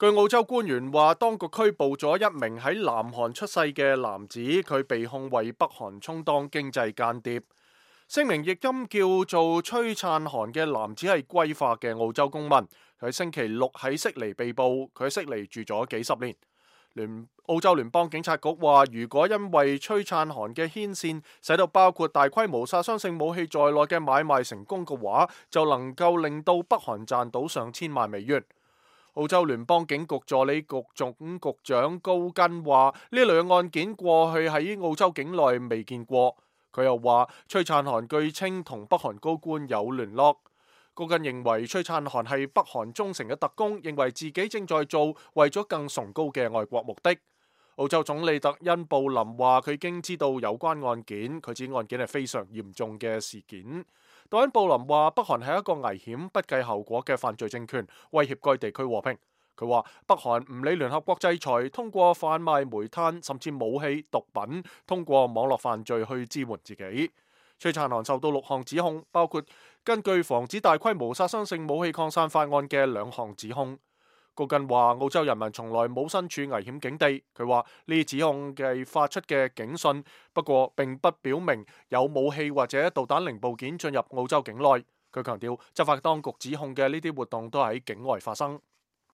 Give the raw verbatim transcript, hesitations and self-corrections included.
據澳洲官員話，當局拘捕咗一名喺南韓出世嘅男子，佢被控為北韓充當經濟間諜。聲明譯音叫做崔燦韓嘅男子係歸化嘅澳洲公民，佢星期六喺悉尼被捕，佢喺悉尼住咗幾十年。聯澳洲聯邦警察局話，如果因為崔燦韓嘅牽線使到包括大規模殺傷性武器在內嘅買賣成功嘅話，就能夠令到北韓賺到上千萬美元。澳洲聯邦警局助理局總局長高根話，呢類案件過去喺澳洲境內未見過。佢又話，崔燦韓據稱同北韓高官有聯絡。高根認為崔燦韓係北韓忠誠嘅特工，認為自己正在做為咗更崇高嘅愛國目的。澳洲總理特恩布林話，佢已經知道有關案件，佢指案件係非常嚴重嘅事件。特恩布林話，北韓係一個危險、不計後果嘅犯罪政權，威脅該地區和平。佢話北韓唔理聯合國制裁，通過販賣煤炭甚至武器、毒品，通過網絡犯罪去支援自己。崔燦韓受到六項指控，包括根據防止大規模殺傷性武器擴散法案嘅兩項指控。高根話，澳洲人民從來冇身處危險境地。佢話呢啲指控係發出嘅警訊，不過並不表明有武器或者導彈零部件進入澳洲境內。佢強調執法當局指控嘅呢啲活動都喺境外發生。